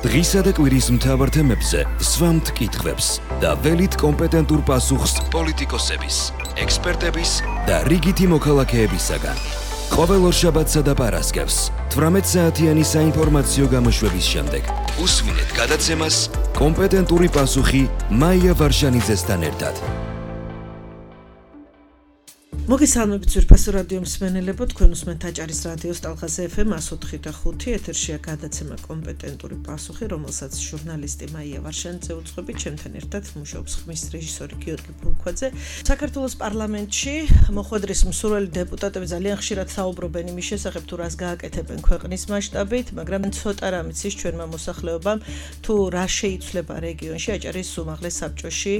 დღისა და კვირის მთავარ თემებზე სვამთ კითხვებს და ველით კომპეტენტურ პასუხს პოლიტიკოსების, ექსპერტების და რიგითი მოქალაქეებისაგან. ყოველ ორშაბათსა და პარასკევს 18 საათიანი საინფორმაციო გამოშვების შემდეგ უსმინეთ გადაცემას კომპეტენტური პასუხი მაია ვარშანიძესთან ერთად. მოგესალმებით ძვირფასო რადიო მსმენელებო, თქვენ უსმენთ აჭარის რადიოს ტალღაზე FM 104.5 ეთერშია გადაცემა კომპეტენტური პასუხი, რომელსაც ჟურნალისტი მაია ვარშანიძე უძღვებით, ჩემთან ერთად მუშაობს ხმის რეჟისორი გიორგი ფულქვაძე. საქართველოს პარლამენტში მოხვედრის მსურველი დეპუტატები ძალიან ხშირად საუბრობენ იმის შესახებ, თუ რას გააკეთებენ ქვეყნის მასშტაბით, მაგრამ ცოტა რამიც ის ჩვენმა მოსახლეობამ, თუ რა შეიცვლება რეგიონში, აჭარის უმაღლეს საბჭოში,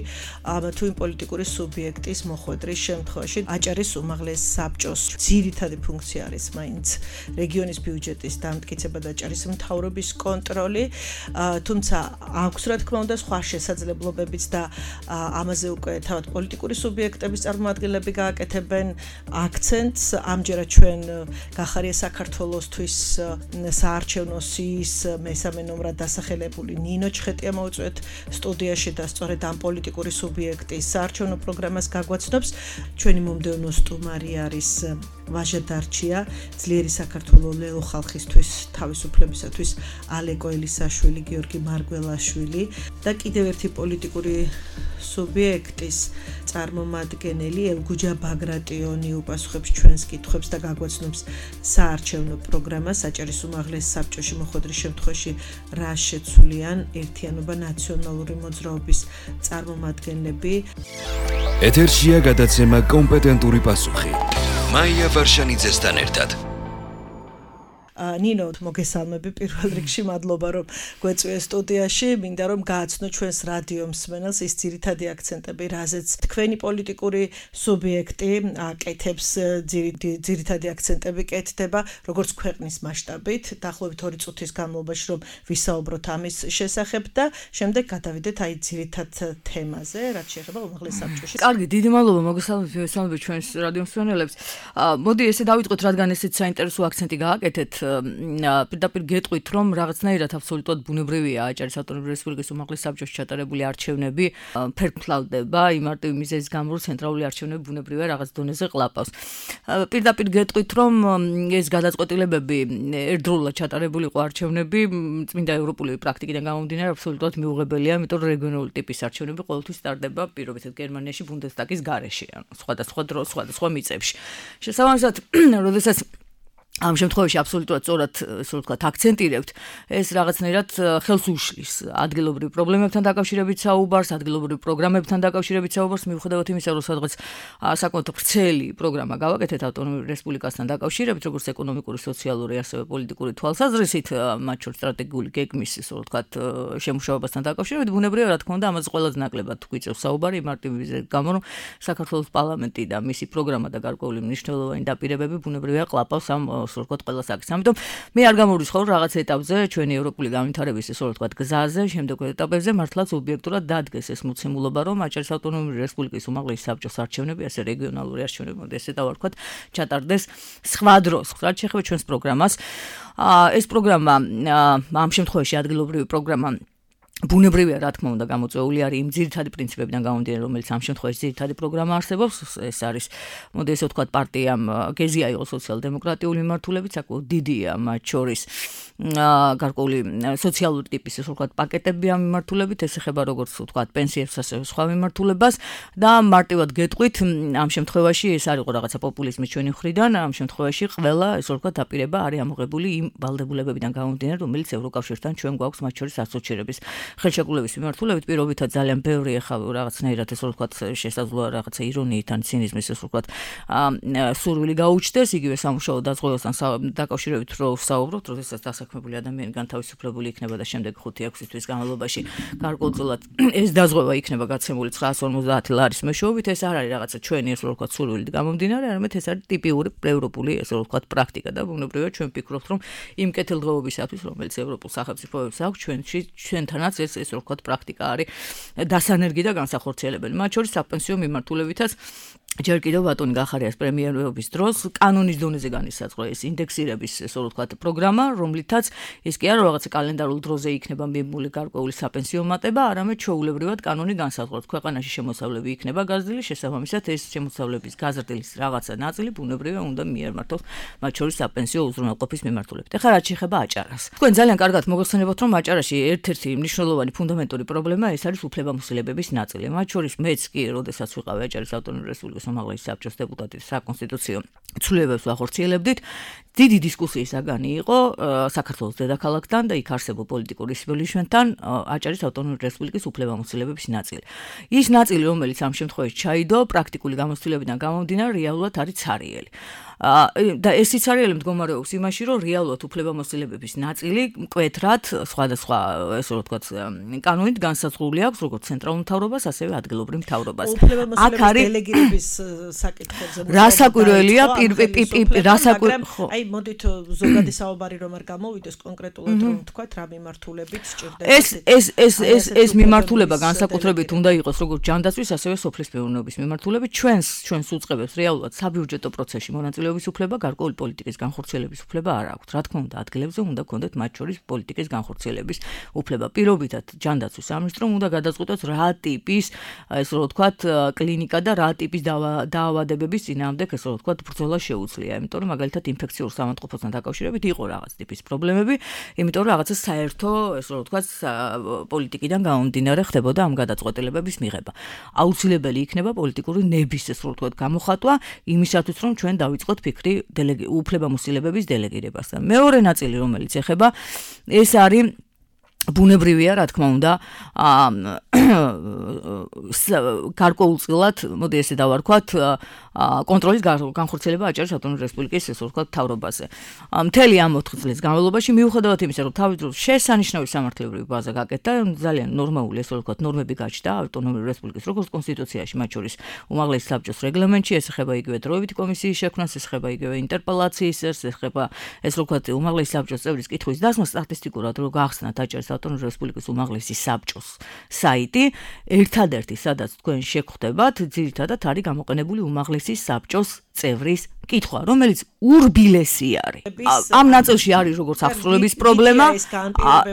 თუ იმ პოლიტიკური სუბიექტის მოხვედრის შემთხვევაში. აჭარის უმაღლეს საბჭოს ძირითადი ფუნქცია არის მაინც რეგიონის ბიუჯეტის დამტკიცება და აჭარის მთავრობის კონტროლი, თუმცა აქვს რა თქმა უნდა სხვა შესაძლებლობებიც და ამაზე უკვე თავად პოლიტიკური სუბიექტების წარმომადგენლები გააკეთებენ აქცენტს. ამჯერად ჩვენ გახარია საქართველოსთვის საარჩევნო სიის მესამე ნომრად დასახელებული ნინო ჩხეტია მოვიწვევთ სტუდიაში და სწორედ ამ პოლიტიკური სუბიექტის საარჩევნო პროგრამას გაგვაცნობს. ჩვენი მომდევნო სტუმარი არის ვაჟა დარჩია, ძლიერი საქართველოს ლელო ხალხისთვის თავისუფლებისათვის ალეკო ელისაშვილი, გიორგი მარგველაშვილი და კიდევ ერთი პოლიტიკური სუბიექტის წარმომადგენელი ელგუჯა ბაგრატიონი უპასუხებს ჩვენს კითხვებს და გაგვაცნობს საარჩევნო პროგრამას. აჭარის უმაღლეს საბჭოში მოხვედრის შემთხვევაში რა შეცვლიან ერთიანობა ნაციონალური მოძრაობის წარმომადგენლები. ეთერშია გადაცემა კომპეტენტური პასუხი. მაია ვარშანიძესთან ერთად. ნინო, მოგესალმები პირველ რიგში, მადლობა რომ გვეწვიე სტუდიაში. მინდა რომ გააცნო ჩვენს რადიო მსმენელს ის ძირითადი აქცენტები, რაზეც თქვენი პოლიტიკური სუბიექტი აკეთებს, ძირითადი აქცენტები კეთდება, როგორც ქვეყნის მასშტაბით, დაახლოებით 2 წუთის განმავლობაში რომ ვისაუბროთ ამის შესახებ და შემდეგ გადავიდეთ აი ძირითად თემაზე, რაც შეეხება უმაღლეს საბჭოში. კარგი, დიდი მადლობა, მოგესალმებით ჩვენს რადიო მსმენელებს. მოდი ესე დავიწყოთ, რადგან ესეც საინტერესო აქცენტი გააკეთეთ. პირდაპირ გეტყვით, რომ რაღაცნაირად აბსოლუტურად ბუნებრივია აჭარის ავტონომიური რესპუბლიკის უმაღლეს საბჭოში ჩატარებული არჩევნები ფერფლავდება იმ მარტივი მიზეზის გამო, რომ ცენტრალური არჩევნები ბუნებრივია რაღაც დონეზე ყლაპავს. პირდაპირ გეტყვით, რომ ეს გადაწყვეტილებები ერთდროულად ჩატარებული იყო არჩევნები, წმინდა ევროპული პრაქტიკიდან გამომდინარე აბსოლუტურად მიუღებელია, იმიტომ რომ რეგიონალური ტიპის არჩევნები ყოველთვის ტარდება პირობითად გერმანიაში ბუნდესტაგის გარეშე, ანუ სხვადასხვა დროს, სხვადასხვა მიწებში. შესაბამისად, როდესაც ამ შემთხვევაში აბსოლუტურად სწორად, ასე ვთქვათ, აქცენტირებთ, ეს რაღაცნაირად ხელს უშლის ადგილობრივ პრობლემებთან დაკავშირებით საუბარს, ადგილობრივ პროგრამებთან დაკავშირებით საუბარს, მიუხედავად იმისა, რომ სადღაც საკმაოდ ვრცელი პროგრამა გავაკეთეთ ავტონომიური რესპუბლიკასთან დაკავშირებით, როგორც ეკონომიკური, სოციალური, ასევე პოლიტიკური თვალსაზრისით, მათ შორის სტრატეგიული გეგმის, ასე ვთქვათ, შემუშავებასთან დაკავშირებით, ბუნებრივია, რა თქმა უნდა, ამაზე ყველაზე ნაკლებად გვიწევს საუბარი, მარტივი მიზეზით გამო, რომ საქართველოს პარლამენტი და მისი პროგრამა და გარკვეული მნიშვნელოვანი დაპირებები ბუნებრივია ყლაპავს ამ ვთქვათ ყველა საკითხს. ამიტომ მე არ გამორიცხავ რაღაც ეტაპზე ჩვენი ევროპული განვითარების ესე ვთქვათ გზაზე, შემდეგ ეტაპებზე მართლაც ობიექტურად დადგეს ეს მოცემულობა, რომ აჭარის ავტონომიური რესპუბლიკის უმაღლეს საბჭოს არჩევნები, ასე რეგიონალური არჩევნები, ესე დავარქვათ, ჩატარდეს სხვა დროს. რაც შეეხება ჩვენს პროგრამას, ეს პროგრამა ამ შემთხვევაში ადგილობრივი პროგრამა ბუნებრივია, რა თქმა უნდა, გამოწვეული არის იმ ძირითადი პრინციპებიდან გამომდინარე, რომელიც ამ შემთხვევაში ძირითადი პროგრამა არსებობს. ეს არის, მოდი ესე ვთქვათ, პარტიამ გეზია იყო სოციალ-დემოკრატიული მიმართულებით, საკმაოდ დიდია მათ შორის გარკვეული სოციალური ტიპის, ესე ვთქვათ, პაკეტები ამ მიმართულებით, ეს ეხება როგორც ვთქვათ, პენსიებს, ასევე სხვა მიმართულებას და მარტივად გეტყვით, ამ შემთხვევაში ეს არ იყო რაღაცა პოპულიზმის ჩვენი მხრიდან, ამ შემთხვევაში ყველა, ესე ვთქვათ, დაპირება არის ამოღებული იმ ვალდებულებებიდან გამომდინარე, რომელიც ევროკავშირთან ჩვენ გვაქვს მათ შორის ასოცირების ხელშეკრულების მიმართულებით. პირობითად ძალიან ბევრი ახლა რაღაცნაირად ესე ვთქვათ შესაძლოა რაღაცა ირონიით ან ცინიზმის ესე ვთქვათ სურვილი გაუჩნდეს იგივე სამუშაო დაზღვევასთან დაკავშირებით რო ვსაუბრობთ, როდესაც დასაქმებული ადამიანი განთავისუფლებული იქნება და შემდეგ 5-6 თვის განმავლობაში გარკვეულწილად ეს დაზღვევა იქნება გაცემული 950 ლარის მეშვეობით, ეს არ არის რაღაცა ჩვენი ესე ვთქვათ სურვილით გამომდინარე, არამედ ეს არის ტიპიური ევროპული ესე ვთქვათ პრაქტიკა და ბუნებრივია ჩვენ ვფიქრობთ, რომ იმ კეთილდღეობისათვის, რომელიც ევროპულ სახელმწიფოებს აქვს, ჩვენთანაც ეს ესე ვთქვათ პრაქტიკა არის დასანერგი და განსახორციელებელი. მათ შორის საპენსიო მიმართულებითაც ჯერ კიდევ ბატონი გახარიას პრემიერობის დროს კანონის დონეზე განისაზღვრა ეს ინდექსირების ესე ვთქვათ პროგრამა, რომლითაც ეს კი არა რაღაცა კალენდარულ დროზე იქნება მიბმული გარკვეული საპენსიო მატება, არამედ ჩვეულებრივად კანონი განსაზღვრავს. ქვეყანაში შემოსავლები იქნება გაზრდილი, შესაბამისად ეს შემოსავლების გაზრდილის რაღაცა ნაწილი ბუნებრივია უნდა მიემართოს მათ შორის საპენსიო უზრუნველყოფის მიმართულებით. ეხლა რაც შეეხება აჭარას. თქვენ ძალიან კარგად მოგეხსენებათ, რომ აჭარაში ერთ-ერთი მნიშვნელოვანი ფუნდამენტური პრობლემა ეს არის უფლებამოსილებების ნაწილი. მათ შორის მეც კი, როდესაც ვიყავი აჭარის ავტონომიური რესპუბლიკის უმაღლესი საბჭოს დეპუტატი საკონსტიტუციო ცვლილებებს ვახორციელებდით. დიდი დისკუსიის საგანი იყო საქართველოს დედაქალაქთან და იქ არსებულ პოლიტიკურ ისრველიშვენთან აჭარის ავტონომიური რესპუბლიკის უფლებამოსილებების ნაწილი. ის ნაწილი, რომელიც ამ შემთხვევაში ჩაიდო, პრაქტიკული გამოცდილებიდან გამომდინარე, რეალურად არის ცარიელი. და ეს სიცარიელი მდგომარეობს იმაში, რომ რეალურად უფლებამოსილებების ნაწილი მკვეთრად სხვადასხვა ესე ვთქვათ კანონით განსაზღვრული აქვს როგორც ცენტრალურ მთავრობას, ასევე ადგილობრივ მთავრობას. აქ არის დელეგირების საკითხებზე. რა საკვირველია აი მოდით ზოგადი საუბარი რომ არ გამოვიდეს კონკრეტულად რომ ვთქვათ რა მიმართულებით სჭირდება. ეს მიმართულება განსაკუთრებით უნდა იყოს როგორც ჯანდაცვის, ასევე სოფლის მეურნეობის მიმართულებით. ჩვენს უწყებებს რეალურად საბიუჯეტო პროცესში მონაწილეობის უფლება, გარკვეული პოლიტიკის განხორციელების უფლება არ აქვს. რა თქმა უნდა, ადგილებზე უნდა გქონდეთ მათ შორის პოლიტიკის განხორციელების უფლება. პირობითად ჯანდაცვის სამინისტრომ უნდა გადაწყვიტოს რა ტიპის, ესე ვთქვათ, კლინიკა და რა ტიპის დაავადებების წინააღმდეგ, ესე ვთქვათ, ბრძოლა შეუძლია. იმიტომ რომ მაგალითად ინფექციურ სამანტყოფოსთან დაკავშირებით იყო რაღაც ტიპის პრობლემები, იმიტომ რომ რაღაცა საერთო, ესე ვთქვათ, პოლიტიკიდან გამომდინარე ხდებოდა ამ გადაწყვეტილებების მიღება. აუცილებელი იქნება პოლიტიკური ნების, ესე ვთქვათ, გამოხატვა იმისათვის, რომ ჩვენ დავიწყოთ ფიქრი უფლებამოსილებების დელეგირებასთან. მეორე ნაწილი, რომელიც ეხება, ეს არის ბუნებრივია, რა თქმა უნდა, გარკვეულწილად, მოდი ესე დავარქვათ, კონტროლის განხორციელება აჭარის ავტონომიური რესპუბლიკის ესე ვთქვათ მთავრობაზე. მთელი ამ 4 წლის განმავლობაში მიუხედავად იმისა, რომ თავის დროს შესანიშნავი სამართლებრივი ბაზა გაკეთდა, ძალიან ნორმალური ესე ვთქვათ ნორმები გაჩნდა ავტონომიური რესპუბლიკის როგორც კონსტიტუციაში, მათ შორის უმაღლესი საბჭოს რეგლამენტში, ეს ეხება იგივე დროებითი კომისიის შექმნას, ეს ეხება იგივე ინტერპელაციის, ეს ეხება ესე ვთქვათ უმაღლესი საბჭოს წევრის კითხვის დასმას სტატისტიკურად, რომ გახსნათ აჭარის ავტონომიური რესპუბლიკის უმაღლესი საბჭოს საიტი, ერთადერთი, სადაც თქვენ შეგხვდებათ, ძირითადად არის გამოყენებული უმაღლესი საბჭოს წევრის კითხვა, რომელიც ურბილესი არის. ამ ნაწილში არის როგორც აღსრულების პრობლემა,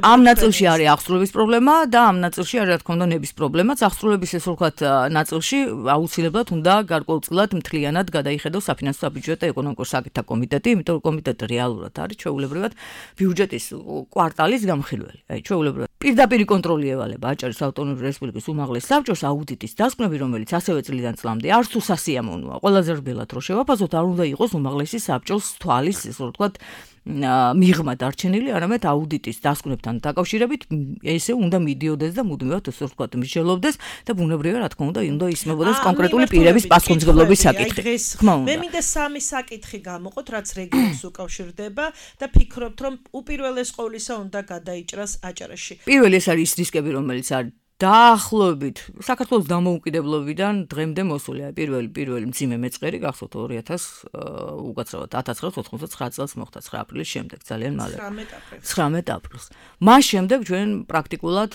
ამ ნაწილში არის აღსრულების პრობლემა და ამ ნაწილში არის რა თქმა უნდა ნების პრობლემაც. აღსრულების ესე ვთქვათ ნაწილში აუცილებლად უნდა გარკვეულწილად მთლიანად გადაიხედოს საფინანსო საბიუჯეტო ეკონომიკურ საკითხთა კომიტეტი, იმიტომ რომ კომიტეტი რეალურად არის ჩვეულებრივად ბიუჯეტის კვარტალის გამხილველი. აი ჩვეულებრივად პირდაპირ კონტროლი ევალება აჭარის ავტონომიური რესპუბლიკის უმაღლეს საბჭოს აუდიტის დასკვნები, რომელიც ასევე წლიდან წლამდე არც თუ სასიამოვნოა. ყველაზე რბილად რო შევაფასოთ, არ უნდა იყოს უმაღლესი საბჭოს თვალის, ესე ვთქვათ, მიღმა დარჩენილი, არამედ აუდიტის დასკვნებთან დაკავშირებით ესე უნდა მიდიოდეს და მუდმივად ესე ვთქვათ მსჯელობდეს და ბუნებრივია, რა თქმა უნდა, უნდა ისმებოდეს კონკრეტული პირების პასუხისმგებლობის საკითხი. მე მინდა 3 საკითხი გამოყოთ, რაც რეგიონს უკავშირდება და ფიქრობთ, რომ უპირველეს ყოვლისა უნდა გადაიჭრას აჭარაში. პირველი ეს არის ის რისკები, რომელიც არის დაახლოებით საქართველოს დამოუკიდებლობიდან დღემდე მოსულია. პირველი მძიმე მეწყერი გახსოვთ უკაცრავად 1999 წელს მოხდა 9 აპრილის შემდეგ, ძალიან მალე. 19 აპრილს. მას შემდეგ ჩვენ პრაქტიკულად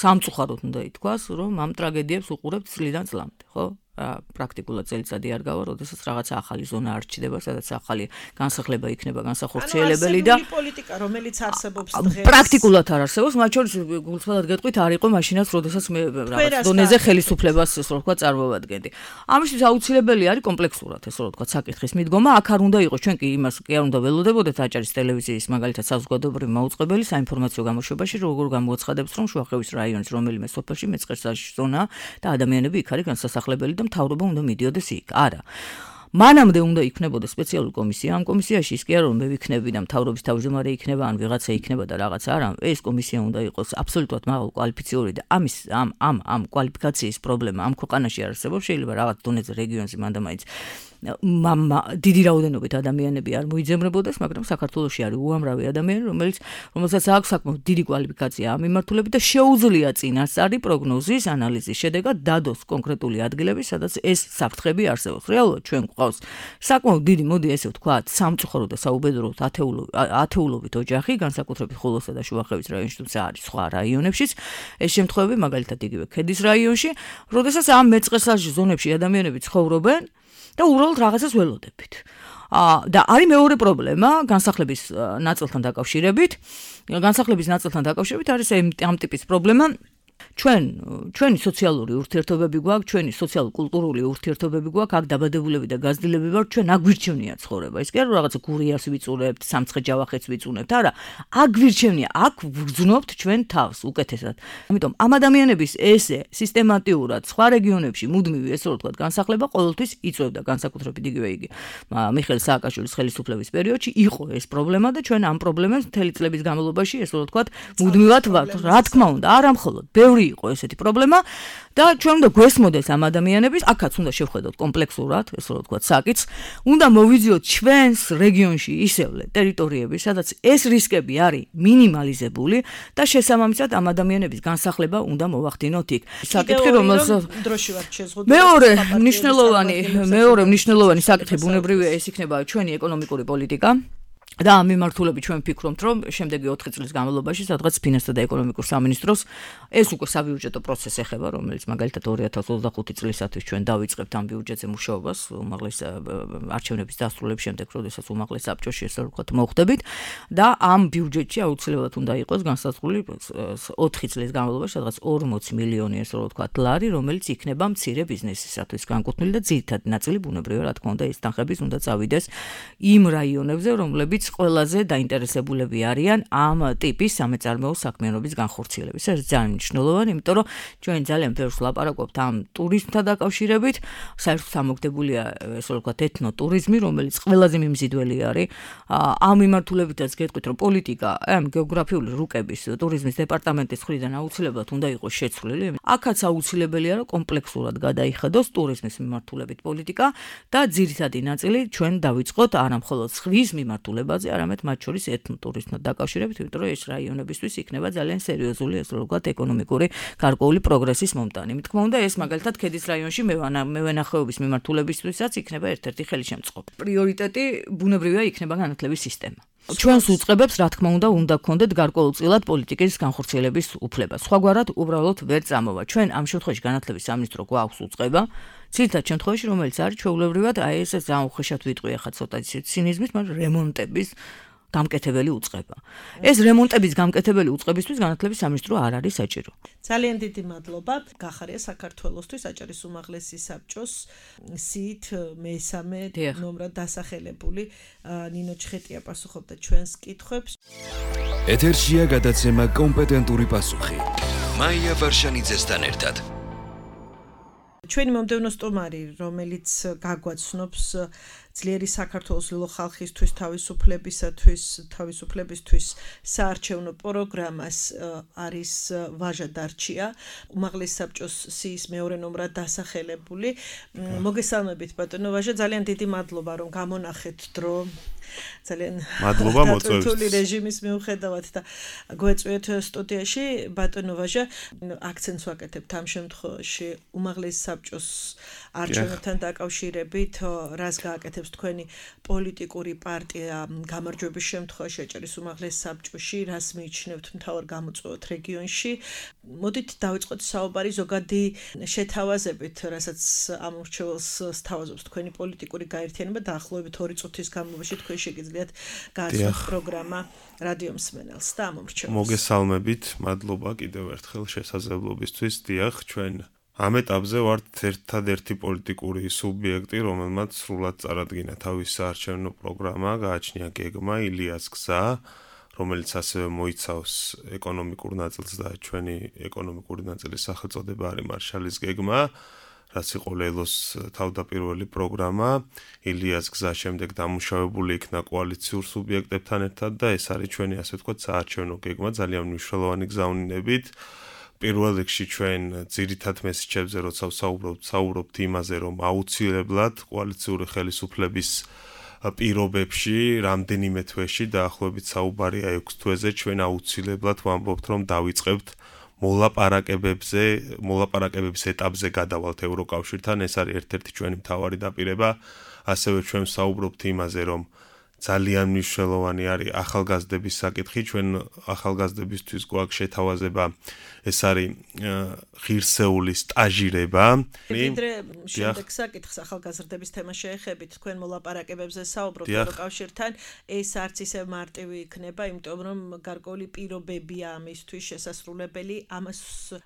სამწუხაროდ უნდა ითქვას, რომ ამ ტრაგედიებს უყურებთ წლიდან წლამდე, ხო? პრაქტიკულად წელიწადი არ გავა, როდესაც რაღაცა ახალი ზონა არ ჩნდება, სადაც ახალი განსახლება იქნება განსახორციელებელი და პოლიტიკა, რომელიც არსებობს დღეს. პრაქტიკულად არ არსებობს, მათ შორის გულწრფელად გეტყვით, არ იყო მაშინაც, როდესაც მე რაღაც დონეზე ხელისუფლებას ესე ვთქვათ წარმოვადგენდი. ამისთვის აუცილებელი არის კომპლექსურად ესე ვთქვათ საკითხის მიდგომა, აქ არ უნდა იყოს, ჩვენ კი იმას კი არ უნდა ველოდებოდეთ აჭარის ტელევიზიის მაგალითად საზოგადოებრივი მაუწყებელი საინფორმაციო გამოშვებაში, როგორ გამოაცხადებს, რომ შუახევის რაიონის რომელიმე სოფელში მეწყერსაში ზონაა და ადამიანები იქ არის განსასახლებელი და მთავრობა უნდა მიდიოდეს იქ. არა. მანამდე უნდა იქნებოდეს სპეციალური კომისია. ამ კომისიაში ის კი არა რომ მე ვიქნები და მთავრობის თავმჯდომარე იქნება, ან ვიღაცა იქნება და რაღაცა არა. ეს კომისია უნდა იყოს აბსოლუტურად მაღალ კვალიფიციური და ამ კვალიფიკაციის პრობლემა ამ ქვეყანაში არსებობს. შეიძლება რაღაც დონეზე რეგიონზე მანდამაინც დიდი რაოდენობით ადამიანები არ მოიძებნებოდეს, მაგრამ საქართველოში არის უამრავი ადამიანი, რომელსაც აქვს საკმაოდ დიდი კვალიფიკაცია ამ მიმართულებით და შეუძლია წინასწარი პროგნოზის ანალიზის შედეგად დადოს კონკრეტული ადგილები, სადაც ეს საფრთხები არსებობს. რეალურად ჩვენ ყავს საკმაოდ დიდი, მოდი ესე ვთქვათ, სამწუხარო და საუბედუროდ ათეულობით ოჯახი, განსაკუთრებით ხულოსა და შუახევის რაიონში, თუმცა არის სხვა რაიონებშიც, ეს შემთხვევები მაგალითად იგივე ქედის რაიონში, როდესაც ამ მეწყერსალში ზონებში ადამიანები ცხოვრობენ და უბრალოდ რაღაცას ველოდებით. და არის მეორე პრობლემა განსახლების ნაწილთან დაკავშირებით. განსახლების ნაწილთან დაკავშირებით არის ამ ტიპის პრობლემა. ჩვენი სოციალური ურთიერთობები გვაქვს, ჩვენი სოციალურ-კულტურული ურთიერთობები გვაქვს, აქ დაბადებულები და გაზრდილები ვართ, ჩვენ აგვირჩევნია ცხოვრება. ის კი არა რაღაცა გურიას ვიწურებთ, სამცხე ჯავახეთს ვიწუნებთ, არა, აგვირჩევნია, აქ ვგრძნობთ ჩვენ თავს უკეთესად. ამიტომ ამ ადამიანების ესე სისტემატიურად სხვა რეგიონებში მუდმივი ესე ვთქვათ განსახლება ყოველთვის იწვევდა განსაკუთრებით იგივე იგი. მიხეილ სააკაშვილის ხელისუფლების პერიოდში იყო ეს პრობლემა და ჩვენ ამ პრობლემებს მთელი წლების განმავლობაში ესე ვთქვათ მუდმივად ვართ. რა თქმა უნდა, არა მხოლოდ ბევრი იყო ესეთი პრობლემა და ჩვენ უნდა გვესმოდეს ამ ადამიანების, აქაც უნდა შევხედოთ კომპლექსურად, ესე რომ ვთქვათ, საკითხს, უნდა მოვიძიოთ ჩვენს რეგიონში ისევლე ტერიტორიები, სადაც ეს რისკები არის მინიმალიზებული და შესაბამისად ამ ადამიანების განსახლება უნდა მოვახდინოთ იქ. საკითხი რომელსაც დროში ვართ შეზღუდული. მეორე მნიშვნელოვანი საკითხი ბუნებრივია ეს იქნება ჩვენი ეკონომიკური პოლიტიკა. და ამ მიმართულებით ჩვენ ვფიქრობთ, რომ შემდეგი 4 წლის განმავლობაში სადღაც ფინანსთა და ეკონომიკურ სამინისტროს ეს უკვე საბიუჯეტო პროცესი ეხება, რომელიც მაგალითად 2025 წლისათვის ჩვენ დავიწყებთ ამ ბიუჯეტზე მუშაობას, უმაღლეს არჩევნების დასრულების შემდეგ, როდესაც უმაღლეს საბჭოში ესე ვთქვათ მოხვდებით და ამ ბიუჯეტში აუცილებლად უნდა იყოს განსაზღვრული 4 წლის განმავლობაში სადღაც 40 მილიონი ესე ვთქვათ ლარი, რომელიც იქნება მცირე ბიზნესისათვის განკუთვნილი და ძირითადი ნაწილი ბუნებრივია, რა თქმა უნდა, ეს თანხების უნდა წავიდეს იმ რაიონებზე, რომლებიც ყველაზე დაინტერესებულები არიან ამ ტიპის სამეწარმეო საქმიანობის განხორციელების. ეს ძალიან მნიშვნელოვანი, იმიტომ რომ ჩვენ ძალიან ბევრს ვლაპარაკობთ ამ ტურიზმთან დაკავშირებით, საერთოდ ამოგდებულია ესე ვთქვათ ეთნოტურიზმი, რომელიც ყველაზე მიმზიდველი არის. ამ მიმართულებითაც გეტყვით, რომ პოლიტიკა ამ გეოგრაფიული რუკების ტურიზმის დეპარტამენტის მხრიდან აუცილებლად უნდა იყოს შეცვლილი. აქაც აუცილებელია, რომ კომპლექსურად გადაიხედოს ტურიზმის მიმართულებით პოლიტიკა და ძირითადი ნაწილი ჩვენ დავიწყოთ არა მხოლოდ ზღვის მიმართულება, არამედ მათ შორის ეთნოტურიზმთან დაკავშირებით, იმიტომ რომ ეს რაიონებისთვის იქნება ძალიან სერიოზული ესე ვთქვათ ეკონომიკური გარკვეული პროგრესის მომტანი. მე თქმა უნდა, ეს მაგალითად ქედის რაიონში მევენახეობის მიმართულებისთვისაც იქნება ერთ-ერთი ხელშემწყობი. პრიორიტეტი ბუნებრივია იქნება განათლების სისტემა. ჩვენს უწყებებს, რა თქმა უნდა გქონდეთ გარკვეულწილად პოლიტიკის განხორციელების უფლება. სხვაგვარად უბრალოდ ვერ წამოვა. ჩვენ ამ შემთხვევაში განათლების სამინისტრო გვაქვს უწყება. ძირითად შემთხვევაში, რომელიც არის ჩვეულებრივად, აი ეს ძალიან უხეშად ვიტყვი ახლა ცოტა ცინიზმის, მაგრამ რემონტების გამკეთებელი უწყება. ეს რემონტების გამკეთებელი უწყებისთვის განათლების სამინისტრო არ არის საჭირო. ძალიან დიდი მადლობა. გახარია საქართველოსთვის აჭარის უმაღლესი საბჭოს სიით მესამე ნომრად დასახელებული ნინო ჩხეტია პასუხობდა ჩვენს კითხვებს. ეთერშია გადაცემა კომპეტენტური პასუხი. მაია ვარშანიძესთან ერთად. ჩვენი მომდევნო სტუმარი, რომელიც გაგვაცნობს ძლიერი საქართველოს ლილო ხალხისთვის თავისუფლებისთვის საარჩევნო პროგრამას არის ვაჟა დარჩია, უმაღლეს საბჭოს სიის მეორე ნომრად დასახელებული. მოგესალმებით ბატონო ვაჟა, ძალიან დიდი მადლობა რომ გამონახეთ დრო. ძალიან მადლობა მოწვევით. თული რეჟიმის მიუხედავად და გვეწვიეთ სტუდიაში ბატონო ვაჟა, აქცენტს ვაკეთებთ ამ შემთხვევაში უმაღლეს საბჭოს არჩევნებთან დაკავშირებით, რას გააკეთებს თქვენი პოლიტიკური პარტია გამარჯვების შემთხვევაში აჭარის უმაღლეს საბჭოში, რას მიიჩნევთ მთავარ გამოწვევად რეგიონში. მოდით დავიწყოთ საუბარი ზოგადი შეთავაზებით, რასაც ამ მრჩეველს სთავაზობს თქვენი პოლიტიკური გაერთიანება დაახლოებით 2 წუთის განმავლობაში თქვენ შეგიძლიათ გააცნოთ პროგრამა რადიო მსმენელს და ამ მრჩეველს. მოგესალმებით, მადლობა კიდევ ერთხელ შესაძლებლობისთვის. დიახ, ჩვენ ამ ეტაპზე ვართ ერთადერთი პოლიტიკური სუბიექტი, რომელმაც სრულად წარადგინა თავის საარჩევნო პროგრამა, გააჩნია გეგმა ილიას გზა, რომელიც ასევე მოიცავს ეკონომიკურ ნაწილს და ჩვენი ეკონომიკური ნაწილის სახელწოდება არის მარშალის გეგმა, რაც იყო ლელოს თავდაპირველი პროგრამა. ილიას გზა შემდეგ დამუშავებული იქნა კოალიციურ სუბიექტებთან ერთად და ეს არის ჩვენი ასე ვთქვათ საარჩევნო გეგმა, ძალიან მნიშვნელოვანი გზავნილებით. პირველ რიგში ჩვენ ძირითად მესიჯებზე როცა ვსაუბრობთ იმაზე, რომ აუცილებლად კოალიციური ხელისუფლების პირობებში რამდენიმე თვეში დაახლოებით საუბარია 6 თვეზე ჩვენ აუცილებლად ვამბობთ, რომ დავიწყებთ მოლაპარაკებების ეტაპზე გადავალთ ევროკავშირთან. ეს არის ერთ-ერთი ჩვენი მთავარი დაპირება. ასევე ჩვენ საუბრობთ იმაზე, რომ ძალიან მნიშვნელოვანი არის ახალგაზრდების საკითხი, ჩვენ ახალგაზრდებისთვის გვაქვს შეთავაზება, ეს არის ღირსეული სტაჟირება. ვიდრე შემდეგ საკითხს ახალგაზრდების თემა შეეხებით, თქვენ მოლაპარაკებებზე საუბრობთ ევროკავშირთან, ეს არც ისე მარტივი იქნება, იმიტომ რომ გარკვეული პირობებია ამისთვის შესასრულებელი, ამას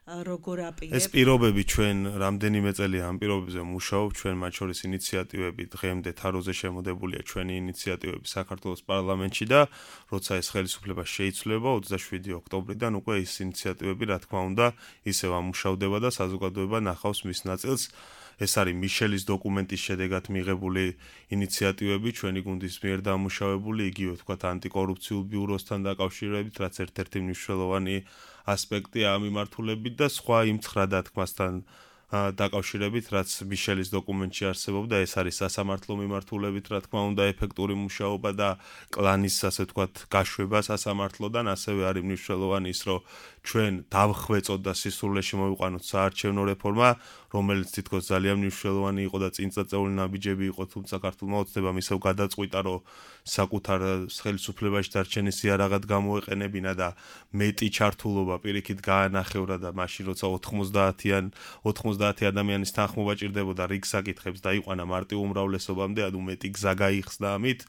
როგორ აპირებთ? ეს პირობები ჩვენ რამდენიმე წელია ამ პირობებზე მუშაობთ, ჩვენ მათ შორის ინიციატივები დღემდე თაროზე შემოდებულია ჩვენი ინიციატივები საქართველოს პარლამენტში და როცა ეს ხელისუფლება შეიცვლება 27 ოქტომბრიდან უკვე ეს ინიციატივები რა თქმა უნდა ისევ ამუშავდება და საზოგადოება ნახავს მის ნაწილს. ეს არის მიშელის დოკუმენტის შედეგად მიღებული ინიციატივები ჩვენი გუნდის მიერ დამუშავებული, იგივე თქვათ ანტიკორუფციულ ბიუროსთან დაკავშირებით, რაც ერთ-ერთი მნიშვნელოვანი ასპექტია ამ მიმართულებით და სხვა იმ 9 დათქმასთან დაკავშირებით, რაც მიშელის დოკუმენტში არსებობდა, ეს არის სასამართლო მიმართულებით, რა თქმა უნდა, ეფექტური მუშაობა და კლანის, ასე ვთქვათ, გაშვება სასამართლოდან, ასევე არის მნიშვნელოვანი ის, რომ ჩვენ დავხვეწოთ და სისრულეში მოვიყვანოთ საარჩევნო რეფორმა, რომელიც თითქოს ძალიან მნიშვნელოვანი იყო და წინწაწეული ნაბიჯები იყო, თუმცა საქართველოს ოცნებამ ისევ გადაწყვიტა, რომ საკუთარ ხელისუფლებაში დარჩენის იარაღად გამოეყენებინა და მეტი ჩართულობა პირიქით გაანახევრა და მაშინ როცა 90 ადამიანის თანხმობა ჭირდებოდა რიგ საკითხებს დაიყვანა მარტივ უმრავლესობამდე, ანუ მეტი გზა გაიხსნა ამით.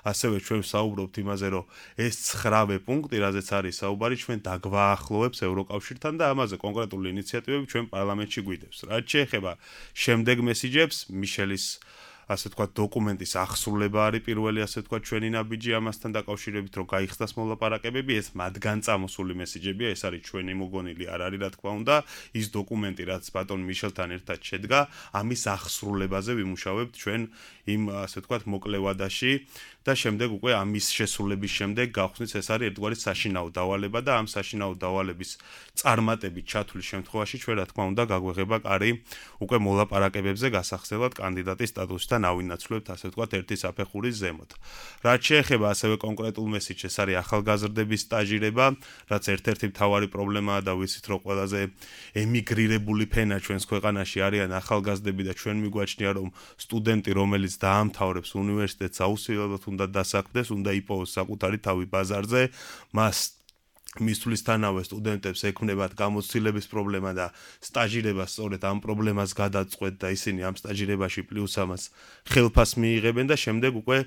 ასევე ჩვენ საუბრობთ იმაზე, რომ ეს 9 პუნქტი, რაზეც არის საუბარი, ჩვენ დაგვაახლოვებს ევროკავშირთან და ამაზე კონკრეტული ინიციატივები ჩვენ პარლამენტში გვიდევს. რაც შეეხება შემდეგ მესიჯებს, მიშელის ასე ვთქვათ დოკუმენტის აღსრულება არის პირველი ასე ვთქვათ ჩვენი ნაბიჯი ამასთან დაკავშირებით, რომ გაიხსნას მოლაპარაკებები, ეს მათგან წამოსული მესიჯებია, ეს არის ჩვენი მოგონილი არ არის რა თქმა უნდა, ის დოკუმენტი რაც ბატონ მიშელთან ერთად შედგა, ამის აღსრულებაზე ვიმუშავებთ ჩვენ იმ ასე ვთქვათ მოკლევადაში და შემდეგ უკვე ამის შესრულების შემდეგ გავხსნით ეს არის ერთგვარი საშინაო დავალება და ამ საშინაო დავალების წარმატებით ჩათვლის შემთხვევაში ჩვენ რა თქმა უნდა გაგვეღება კარი უკვე მოლაპარაკებებზე გასახსნელად კანდიდატის სტატუსთან ავინაცვლებთ ასე ვთქვათ ერთი საფეხურის ზემოთ. რაც შეეხება ასევე კონკრეტულ მესიჯს, ეს არის ახალგაზრდების სტაჟირება, რაც ერთ-ერთი მთავარი პრობლემაა და ვიცით რომ ყველაზე ემიგრირებული ფენა ჩვენს ქვეყანაში არიან ახალგაზრდები და ჩვენ მიგვაჩნია რომ სტუდენტი რომელიც დაამთავრებს უნივერსიტეტს აუცილებლად უნდა დასაქმდეს, უნდა იპოვოს საკუთარი თავი ბაზარზე, მას მისვლისთანავე სტუდენტებს ექმნებათ გამოცდილების პრობლემა და სტაჟირება სწორედ ამ პრობლემას გადაწყვეტ და ისინი ამ სტაჟირებაში პლუს ამას ხელფას მიიღებენ და შემდეგ უკვე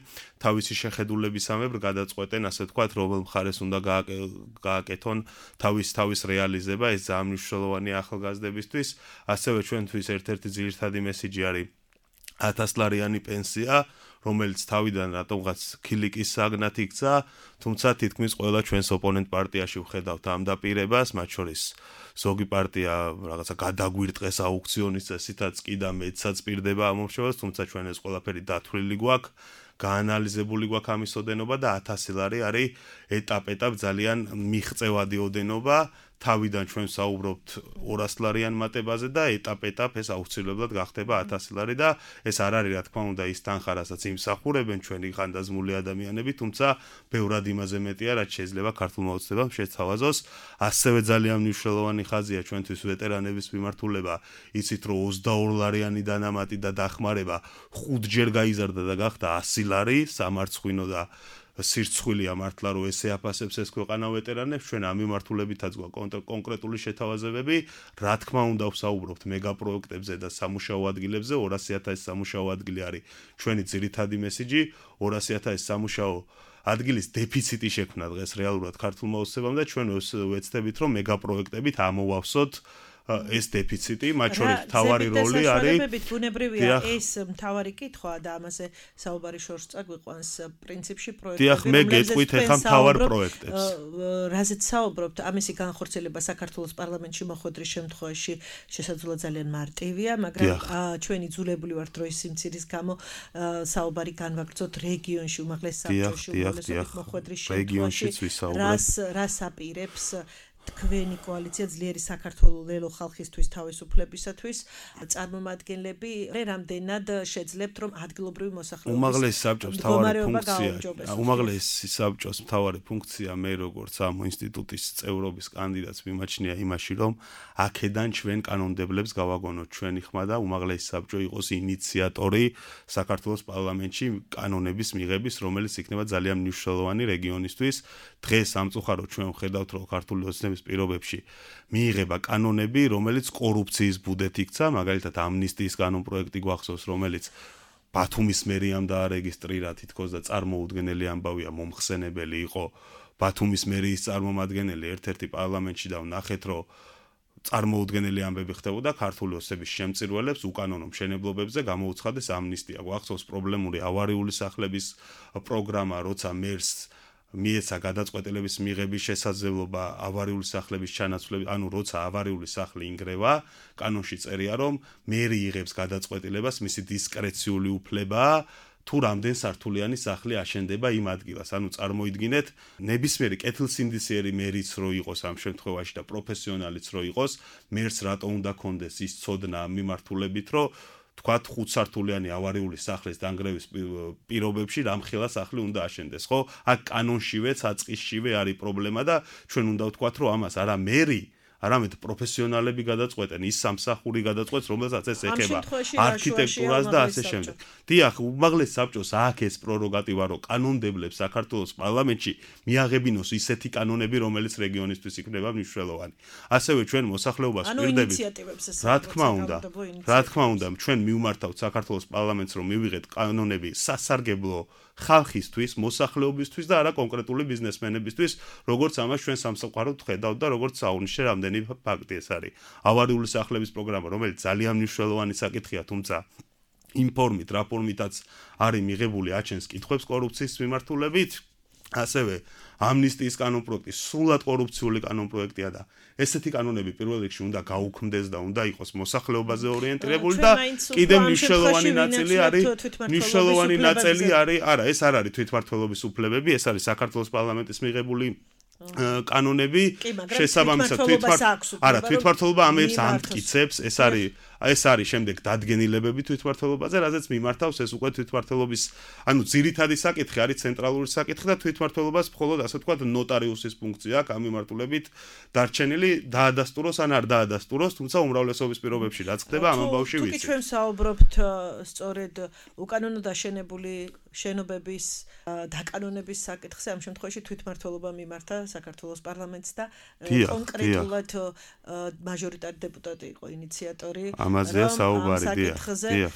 თავისი შეხედულებისამებრ გადაწყვეტენ ასე ვთქვათ რომელ მხარეს უნდა გააკეთონ თავის რეალიზება. ეს ძალიან მნიშვნელოვანია ახალგაზრდებისთვის. ასევე ჩვენთვის ერთ-ერთი ძირითადი მესიჯი არის 1000 ლარიანი პენსია, რომელიც თავიდან რატომღაც ქილიკის საგნად იქცა, თუმცა თითქმის ყველა ჩვენს ოპონენტ პარტიაში ვხედავთ ამ დაპირებას, მათ შორის ზოგი პარტია რაღაცა გადაგვირტყეს აუქციონის წესითაც კი და მეცაც პირდება ამორჩევას, თუმცა ჩვენ ეს ყველაფერი დათვლილი გვაქვს, გაანალიზებული გვაქვს ამის ოდენობა და 1000 ლარი არის ეტაპ-ეტაპ ძალიან მიღწევადი ოდენობა. თავიდან ჩვენ საუბრობთ 200 ლარიან მატებაზე და ეტაპ-ეტაპ ეს აუცილებლად გახდება 1000 ლარი და ეს არ არის რა თქმა უნდა ის თანხა, რასაც იმსახურებენ ჩვენი ხანდაზმული ადამიანები, თუმცა ბევრად იმაზე მეტია, რაც შეიძლება ქართულმა ოცნებამ შეთავაზოს. ასევე ძალიან მნიშვნელოვანი ხაზია ჩვენთვის ვეტერანების მიმართულება, იცით რომ 22 ლარიანი დანამატი და დახმარება 5ჯერ გაიზარდა და გახდა 100 ლარი, სამარცხვინო და სირცხვილია მართლა რომ ესე აფასებს ეს ქვეყანა ვეტერანებს, ჩვენ ამ მიმართულებითაც გვაქვს კონკრეტული შეთავაზებები, რა თქმა უნდა ვსაუბრობთ მეგაპროექტებზე და სამუშაო ადგილებზე, 200.000 სამუშაო ადგილი არის ჩვენი ძირითადი მესიჯი, 200.000 სამუშაო ადგილის დეფიციტი შექმნა დღეს რეალურად ქართულმა ოცნებამ და ჩვენ ვეცდებით რომ მეგაპროექტებით ამოვავსოთ ეს დეფიციტი, მათ შორის მთავარი როლი არის. ბუნებრივია ეს მთავარი კითხვა და ამაზე საუბარი შორს წაგვიყვანს პრინციპში პროექტები. დიახ, მე გეტყვით ახლა მთავარ პროექტებს. რაზეც საუბრობთ, ამისი განხორციელება საქართველოს პარლამენტში მოხვედრის შემთხვევაში შესაძლოა ძალიან მარტივია, მაგრამ ჩვენი ძულებული ვართ დროის სიმცირის გამო საუბარი განვაგრძოთ რეგიონში, უმაღლეს საბჭოში, უმაღლესობით მოხვედრის შემთხვევაში. რას აპირებს თქვენი კოალიცია ძლიერი საქართველოს ლელო ხალხისთვის თავისუფლებისათვის წარმომადგენლები რამდენად შეძლებთ რომ ადგილობრივი მოსახლეობის უმაღლესი საბჭოს მთავარი ფუნქცია მე როგორც ამ ინსტიტუტის წევრობის კანდიდატს მიმაჩნია იმაში რომ აქედან ჩვენ კანონმდებლებს გავაგონოთ ჩვენი ხმა და უმაღლესი საბჭო იყოს ინიციატორი საქართველოს პარლამენტში კანონების მიღების რომელიც იქნება ძალიან მნიშვნელოვანი რეგიონისთვის დღეს სამწუხაროდ ჩვენ ვხედავთ რომ ქართული ოცნების პირობებში მიიღება კანონები რომელიც კორუფციის ბუდეთ იქცა მაგალითად ამნისტიის კანონპროექტი გვახსოვს რომელიც ბათუმის მერიამ დაარეგისტრირა თითქოს და წარმოუდგენელი ამბავია მომხსენებელი იყო ბათუმის მერიის წარმომადგენელი ერთ-ერთი პარლამენტში და ვნახეთ რომ წარმოუდგენელი ამბები ხდებოდა ქართული ოცნების შემწირველებს უკანონო მშენებლობებზე გამოუცხადეს ამნისტია გვახსოვს პრობლემური ავარიული სახლების პროგრამა როცა მერს მიეცა გადაწყვეტილების მიღების შესაძლებლობა ავარიული სახლების ჩანაცვლების, ანუ როცა ავარიული სახლი ინგრევა, კანონში წერია, რომ მერი იღებს გადაწყვეტილებას, მისი დისკრეციული უფლებაა, თუ რამდენ სართულიანი სახლი აშენდება იმ ადგილას. ანუ წარმოიდგინეთ, ნებისმიერი კეთილსინდისიერი მერიც რო იყოს ამ შემთხვევაში და პროფესიონალიც რო იყოს, მერს რატო უნდა კონდეს ის ცოდნა მიმართულებით, რომ თქვათ 5 სართულიანი ავარიული სახლის დანგრევის პირობებში რამხელა სახლი უნდა აშენდეს, ხო? აქ კანონშივე, საწყისშივე არის პრობლემა და ჩვენ უნდა ვთქვათ, რომ ამას არა მერი, არამედ პროფესიონალები გადაწყვეტენ, ის სამსახური გადაწყვეტს, რომელსაც ეს ეხება არქიტექტურას და ასე შემდეგ. დიახ, უმაღლეს საბჭოს აქვს ეს პრეროგატივა, რომ კანონმდებლებს საქართველოს პარლამენტში მიაღებინოს ისეთი კანონები, რომელიც რეგიონისთვის იქნება მნიშვნელოვანი. ასევე ჩვენ მოსახლეობას ვირდებით. რა თქმა უნდა, ჩვენ მივმართავთ საქართველოს პარლამენტს, რომ მივიღეთ კანონები სასარგებლო ხალხისთვის, მოსახლეობისთვის და არა კონკრეტული ბიზნესმენებისთვის, როგორც ამას ჩვენ სამსახუროდ ვხედავთ და როგორც საუნიშნე რამდენი ფაქტი ეს არის. ავარიული სახლების პროგრამა, რომელიც ძალიან მნიშვნელოვანი საკითხია, თუმცა იმ ფორმით, რა ფორმითაც არის მიღებული, აჩენს კითხვებს კორუფციის მიმართულებით. ასევე ამნისტიის კანონპროექტი სრულად კორუფციული კანონპროექტია და ესეთი კანონები პირველ რიგში უნდა გაუქმდეს და უნდა იყოს მოსახლეობაზე ორიენტირებული და კიდევ მნიშვნელოვანი ნაწილი არის, არა, ეს არ არის თვითმმართველობის უფლებები, ეს არის საქართველოს პარლამენტის მიღებული კანონები შესაბამისად თვითმმართველობა ამებს ამტკიცებს, ეს არის შემდეგ დადგენილებები თვითმმართველობაზე, რაზეც მიმართავს ეს უკვე თვითმმართველობის, ანუ ძირითადი საკითხი არის ცენტრალური საკითხი და თვითმმართველობას მხოლოდ ასე ვთქვათ ნოტარიუსის ფუნქცია აქვს ამ მიმართულებით დარჩენილი დაადასტუროს ან არ დაადასტუროს, თუმცა უმრავლესობის პირობებში რაც ხდება ამ ამბავში ვიცით. თუკი ჩვენ საუბრობთ სწორედ უკანონო დაშენებული შენობების დაკანონების საკითხზე, ამ შემთხვევაში თვითმმართველობა მიმართა საქართველოს პარლამენტს და კონკრეტულად მაჟორიტარი დეპუტატი იყო ინიციატორი. ამაზეა საუბარი, დიახ.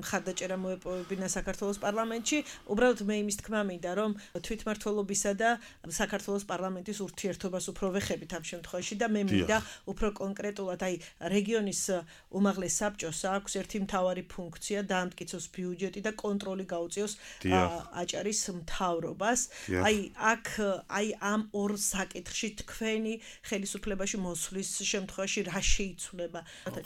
ხარდაჭერა მოეპოვებინა საქართველოს პარლამენტში. უბრალოდ მე იმის თქმა მინდა, რომ თვითმმართველობისა და საქართველოს პარლამენტის ურთიერთობას უფრო ვეხებით ამ შემთხვევაში და მე მინდა უფრო კონკრეტულად, აი რეგიონის უმაღლეს საბჭოს აქვს ერთი მთავარი ფუნქცია, დაამტკიცოს ბიუჯეტი და კონტროლი გაუწიოს აჭარის მთავრობას. აი აქ ამ ორ საკითხში თქვენი ხელისუფლებაში მოსვლის შემთხვევაში რა შეიცვლება?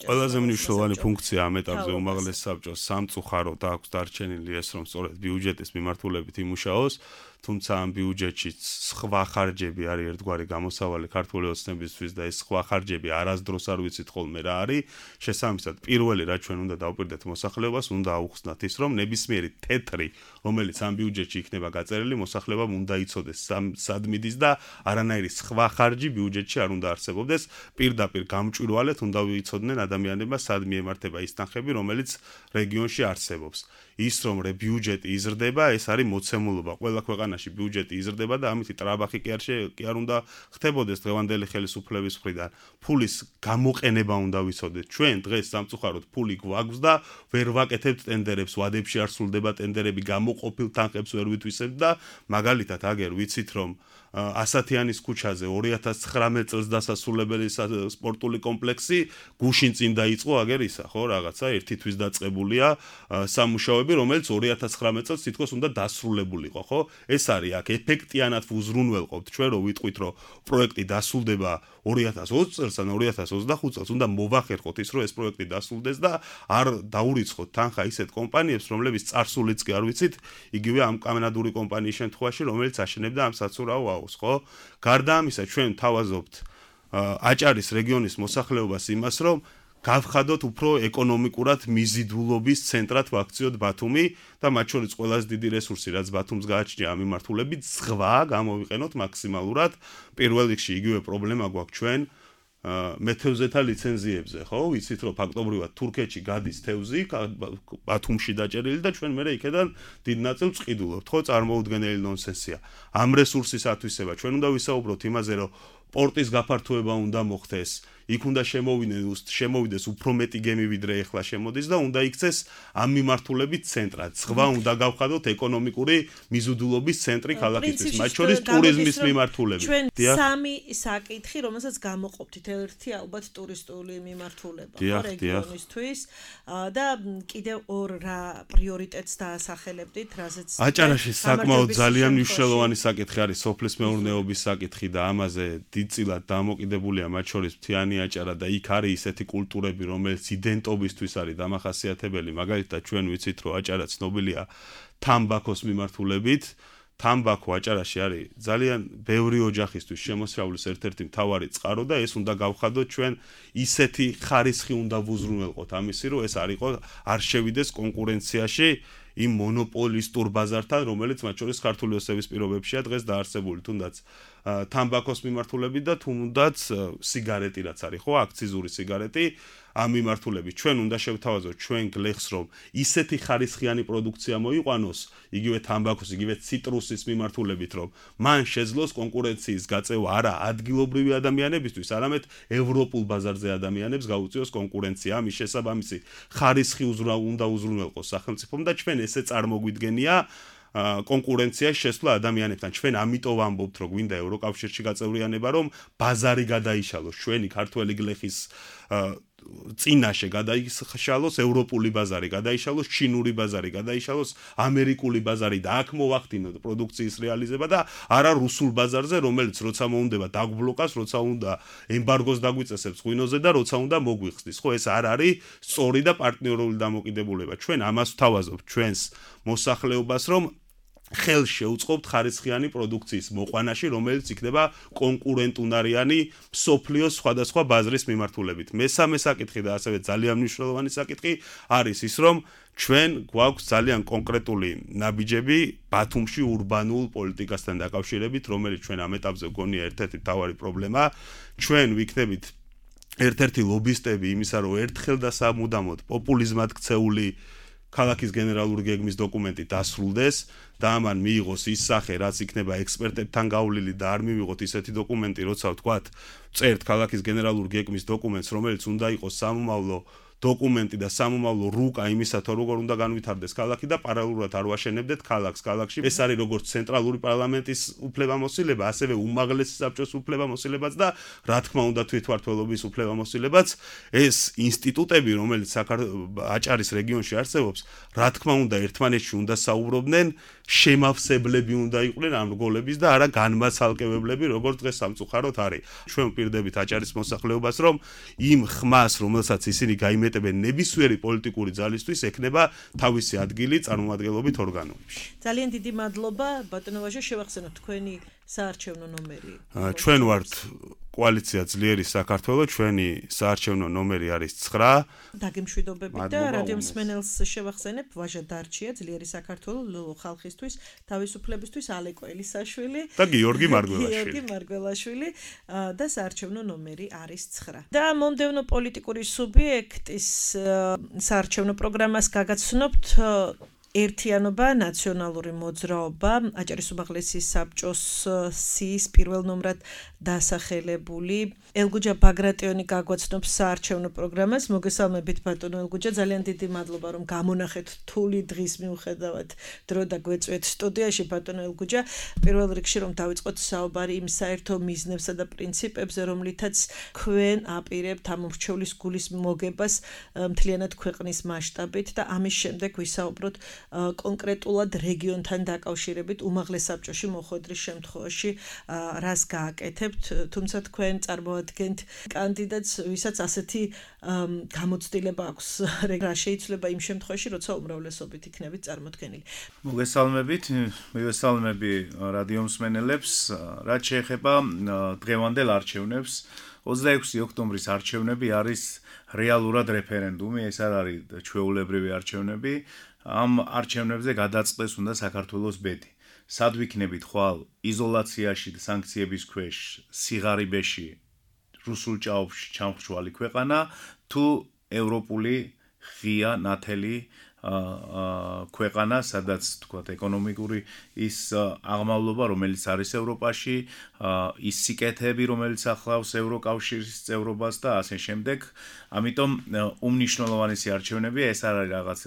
ყველაზე მნიშვნელოვანი ფუნქცია ამ ეტაპზე უმაღლეს საბჭოს სამწუხაროდ აქვს დარჩენილი ეს, რომ სწორედ ბიუჯეტის მიმართულებით იმუშაოს, თუმცა ამ ბიუჯეტში სხვა ხარჯები არის ერთგვარი გამოსავალი ქართული ოცნებისთვის და ეს სხვა ხარჯები არასდროს არ ვიცით ხოლმე რა არის. შესაბამისად, პირველი რა ჩვენ უნდა დავუკვირდეთ მოსახლეობას, უნდა აუხსნათ ის, რომ ნებისმიერი თეთრი, რომელიც ამ ბიუჯეტში იქნება გაწერილი, მოსახლეობამ უნდა იცოდეს სად მიდის და არანაირი სხვა ხარჯი ბიუჯეტში არ უნდა არსებობდეს. პირდაპირ გამჭვირვალეთ უნდა ვიცოდნენ ადამიანებმა სად მიემართება ის თანხები, რომელიც რეგიონში არსებობს. ის რომ ბიუჯეტი იზრდება, ეს არის მოცემულობა. ყველა ქვეყანაში ბიუჯეტი იზრდება და ამით ტრაბახი კი არ უნდა ხდებოდეს დღევანდელი ხელისუფლების მხრიდან. ფულის გამოყენება უნდა ვიცოდეთ. ჩვენ დღეს სამწუხაროდ ფული გვაქვს და ვერ ვაკეთებთ ტენდერებს, ვადებში არ სრულდება ტენდერები, გამოყოფილ თანხებს ვერ ვითვისებთ და მაგალითად აგერ ვიცით რომ ასათიანის ქუჩაზე 2019 წელს დასასრულებელი სპორტული კომპლექსი გუშინ წინ დაიწყო აგერ ისა, ხო, რაღაცა ერთი თვის დაწყებულია სამუშაოები, რომელიც 2019 წელს თითქოს უნდა დასრულებულიყო, ხო? ეს არის აქ ეფექტიანად უზრუნველყოფთ ჩვენ რომ ვიტყვით რომ პროექტი დასრულდება 2020 წელს ან 2025 წელს უნდა მოვახერხოთ ის რომ ეს პროექტი დასრულდეს და არ დაურიცხოთ თანხა ისეთ კომპანიებს, რომლებიც წარსულიც კი არ ვიცით, იგივე ამ კანადური კომპანიის შემთხვევაში, რომელიც აშენებდა ამ საცურაო აუზს, ხო? გარდა ამისა, ჩვენ თავაზობთ აჭარის რეგიონის მოსახლეობას იმას, რომ გავხადოთ უფრო ეკონომიკურად მიზიდულობის ცენტრად ვაქციოთ ბათუმი და მათ შორის ყველაზე დიდი რესურსი, რაც ბათუმს გააჩნია ამ მიმართულებით, ზღვა გამოვიყენოთ მაქსიმალურად. პირველ რიგში იგივე პრობლემა გვაქვს ჩვენ მეთევზეთა ლიცენზიებზე, ხო? ვიცით, რომ ფაქტობრივად თურქეთში გადის თევზი, ბათუმში დაჭერილი და ჩვენ მერე იქედან დიდ ნაწილს ვყიდულობთ, ხო? წარმოუდგენელი ნონსენსია. ამ რესურსის ათვისება ჩვენ უნდა ვისაუბროთ იმაზე, რომ პორტის გაფართოება უნდა მოხდეს, იქ უნდა შემოვიდეს უფრო მეტი გემი ვიდრე ეხლა შემოდის და უნდა იქცეს ამ მიმართულებით ცენტრად. ზღვა უნდა გავხადოთ ეკონომიკური მიზიდულობის ცენტრი ქალაქისთვის, მათ შორის ტურიზმის მიმართულებით. ჩვენ სამი საკითხი, რომელსაც გამოყოფთ, ერთი ალბათ ტურისტული მიმართულება რეგიონისთვის და კიდევ ორ რა პრიორიტეტს დაასახელებდით, რაზეც აჭარაში საკმაოდ ძალიან მნიშვნელოვანი საკითხი არის სოფლის მეურნეობის საკითხი და ამაზე დიდწილად დამოკიდებულია მათ შორის მთიანი აჭარა და იქ არის ისეთი კულტურები, რომელიც იდენტობისთვის არის დამახასიათებელი. მაგალითად, ჩვენ ვიცით, რომ აჭარა ცნობილია თამბაქოს მიმართულებით. თამბაქო აჭარაში არის ძალიან ბევრი ოჯახისთვის შემოსავლის ერთ-ერთი მთავარი წყარო და ეს უნდა გავხადოთ ჩვენ ისეთი ხარისხი უნდა ვუზრუნველყოთ ამისი, რომ ეს არ შევიდეს კონკურენციაში იმ მონოპოლისტურ ბაზართან, რომელიც მათ შორის ქართული ოსების პირობებშია დღეს დაარსებული, თუნდაც თამბაქოს მიმართულებით და თუნდაც სიგარეტი რაც არის, ხო, აქციზური სიგარეტი ამ მიმართულებით. ჩვენ უნდა შევთავაზოთ ჩვენ გლეხს, რომ ისეთი ხარისხიანი პროდუქცია მოიყვანოს, იგივე თამბაქოს, იგივე ციტრუსის მიმართულებით, რომ მან შეძლოს კონკურენციის გაწევა არა ადგილობრივი ადამიანებისთვის, არამედ ევროპულ ბაზარზე ადამიანებს გაუწიოს კონკურენცია. ამის შესაბამისი ხარისხი უნდა უზრუნველყოს სახელმწიფომ და ჩვენ ესე წარმოგვიდგენია კონკურენციაში შესვლა ადამიანებთან. ჩვენ ამიტომ ვამბობთ, რომ გვინდა ევროკავშირში გაწევრიანება, რომ ბაზარი გადაიშალოს, ჩვენი ქართველი გლეხის წინაშე გადაიშალოს ევროპული ბაზარი, გადაიშალოს ჩინური ბაზარი, გადაიშალოს ამერიკული ბაზარი და აქ მოვახდინოთ პროდუქციის რეალიზება და არა რუსულ ბაზარზე, რომელიც როცა მოუნდება დაგვბლოკას, როცა უნდა ემბარგოს დაგვიწესებს ღვინოზე და როცა უნდა მოგვიხსნის. ხო, ეს არ არის სწორი და პარტნიორული დამოკიდებულება. ჩვენ ამას ვთავაზობთ ჩვენს მოსახლეობას, რომ ხელს შეუწყობთ ხარისხიანი პროდუქციის მოყვანაში, რომელიც იქნება კონკურენტუნარიანი მსოფლიოს სხვადასხვა ბაზრის მიმართულებით. მესამე საკითხი და ასევე ძალიან მნიშვნელოვანი საკითხი არის ის, რომ ჩვენ გვაქვს ძალიან კონკრეტული ნაბიჯები ბათუმში ურბანულ პოლიტიკასთან დაკავშირებით, რომელიც ჩვენ ამ ეტაპზე გონია ერთ-ერთი მთავარი პრობლემა. ჩვენ ვიქნებით ერთ-ერთი ლობისტები იმისა, რომ ერთხელ და სამუდამოდ პოპულიზმად ქცეული ქალაქის გენერალური გეგმის დოკუმენტი დასრულდეს და ამან მიიღოს ის სახე, რაც იქნება ექსპერტებთან გავლილი და არ მივიღოთ ისეთი დოკუმენტი, როცა ვთქვათ, წერთ ქალაქის გენერალური გეგმის დოკუმენტს, რომელიც უნდა იყოს სამომავლო დოკუმენტი და სამომავლო რუკა იმისათვის, როგორ უნდა განვითარდეს ქალაქი და პარალელურად არ ვაშენებდეთ ქალაქს. ქალაქში ეს არის როგორც ცენტრალური პარლამენტის უფლებამოსილება, ასევე უმაღლესი საბჭოს უფლებამოსილებაც და რა თქმა უნდა თვითმმართველობის უფლებამოსილებაც. ეს ინსტიტუტები, რომელიც აჭარის რეგიონში არსებობს, რა თქმა უნდა ერთმანეთში უნდა საუბრობდნენ, შემავსებლები უნდა იყვნენ ამ რგოლების და არა განმაცალკევებლები, როგორც დღეს სამწუხაროდ არის. ჩვენ ვპირდებით აჭარის მოსახლეობას, რომ იმ ხმას, რომელსაც ისინი გაიმეტებენ ნებისმიერი პოლიტიკური ძალისთვის, ექნება თავისი ადგილი წარმომადგენლობით ორგანოებში. ძალიან დიდი მადლობა, ბატონო ვაჟა, შევახსენოთ თქვენი საარჩევნო ნომერი. ჩვენ ვართ კოალიცია ძლიერი საქართველო, ჩვენი საარჩევნო ნომერი არის 9. დაგემშვიდობებით და რადიო მსმენელს შევახსენებ, ვაჟა დარჩია ძლიერი საქართველო ხალხისთვის, თავისუფლებისთვის ალეკო ელისაშვილი და გიორგი მარგველაშვილი და საარჩევნო ნომერი არის 9. და მომდევნო პოლიტიკური სუბიექტის საარჩევნო პროგრამას გაგაცნობთ ერთიანობა, ნაციონალური მოძრაობა, აჭარის უმაღლესი საბჭოს სიის პირველ ნომრად დასახელებული ელგუჯა ბაგრატიონი გაგვაცნობს საარჩევნო პროგრამას. მოგესალმებით ბატონო ელგუჯა, ძალიან დიდი მადლობა რომ გამონახეთ რთული დღის მიუხედავად დრო და გვეწვეთ სტუდიაში ბატონო ელგუჯა. პირველ რიგში რომ დავიწყოთ საუბარი იმ საერთო მიზნებსა და პრინციპებზე, რომლითაც ქვენ აპირებთ ამ მრჩევლის გულის მოგებას მთლიანად ქვეყნის მასშტაბით და ამის შემდეგ ვისაუბროთ კონკრეტულად რეგიონთან დაკავშირებით უმაღლეს საბჭოში მოხვედრის შემთხვევაში რას გააკეთებთ, თუმცა თქვენ წარმოადგენთ კანდიდატს, ვისაც ასეთი გამოცდილება აქვს, რა შეიძლება იმ შემთხვევაში, როცა უმრავლესობით იქნებით წარმოქმნილი. მოგესალმებით, მივესალმები რადიო მსმენელებს, რაც შეეხება დღევანდელ არჩევნებს. 26 ოქტომბრის არჩევნები არის რეალურად რეფერენდუმი, ეს არ არის ჩვეულებრივი არჩევნები. ამ არჩევნებზე გადაწყდეს უნდა საქართველოს ბედი. სად ვიქნებით ხვალ იზოლაციაში და სანქციების ქვეშ, სიღარიბეში, რუსულ ჭაობში ჩამხრჩვალი ქვეყანა, თუ ევროპული ღია ნათელი ქვეყანა, სადაც თქვათ ეკონომიკური ის აღმავლობა, რომელიც არის ევროპაში, ის სიკეთეები, რომელიც ახლავს ევროკავშირის წევრობას და ასე შემდეგ. ამიტომ უმნიშვნელოვანესი არჩევნებია, ეს არ არის რაღაც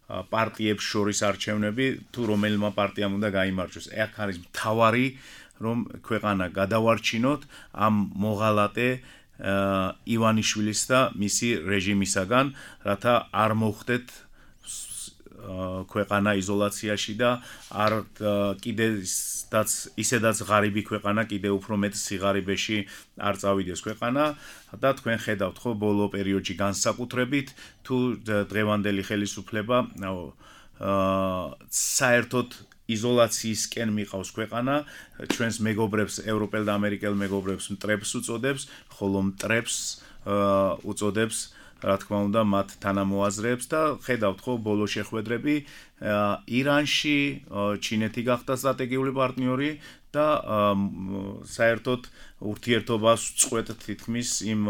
პარტიებს შორის არჩევნები, თუ რომელმა პარტიამ უნდა გაიმარჯვოს. აქ არის მთავარი, რომ ქვეყანა გადავარჩინოთ ამ მოღალატე ივანიშვილის და მისი რეჟიმისაგან, რათა არ მოხდეთ ქვეყანა იზოლაციაში და არ ისედაც ღარიბი ქვეყანა კიდე უფრო მეტ სიღარიბეში არ წავიდეს ქვეყანა და თქვენ ხედავთ ხო ბოლო პერიოდში განსაკუთრებით თუ დღევანდელი ხელისუფლება საერთოდ იზოლაციისკენ მიყავს ქვეყანა, ჩვენს მეგობრებს, ევროპელ და ამერიკელ მეგობრებს მტრებს უწოდებს, ხოლო მტრებს უწოდებს რა თქმა უნდა მათ თანამოაზრეებს და ხედავთ ხო ბოლო შეხვედრები ირანში ჩინეთი გახდა სტრატეგიული პარტნიორი და საერთოდ ურთიერთობას წყვეტ თითქმის იმ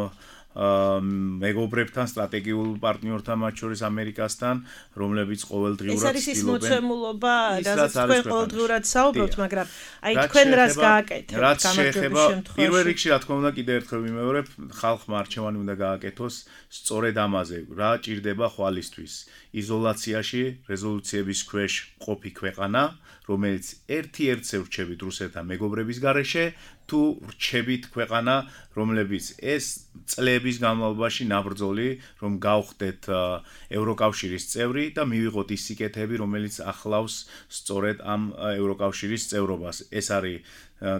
მეგობრებთან სტრატეგიულ პარტნიორთან მათ შორის ამერიკასთან რომლებიც ყოველდღიურად ეს არის ის მოცემულობა რაც თქვენ ყოველდღიურად საუბრობთ მაგრამ აი თქვენ რას გააკეთებთ გამარჯვების შემთხვევაში პირველ რიგში რა თქმა უნდა კიდევ ერთხელ ვიმეორებ ხალხმა არჩევანი უნდა გააკეთოს სწორედ ამაზე რა ჭირდება ხვალისთვის იზოლაციაში რეზოლუციების ქვეშ ყოფი ქვეყანა რომელიც ერთ-ერთს ვრჩებით რუსეთთან მეგობრების გარეშე თუ ვრჩებით ქვეყანა რომლებიც ეს წლების განმავლობაში ნაბრძოლი რომ გავხდეთ ევროკავშირის წევრი და მივიღოთ ის სიკეთეები რომელიც ახლავს სწორედ ამ ევროკავშირის წევრობას ეს არის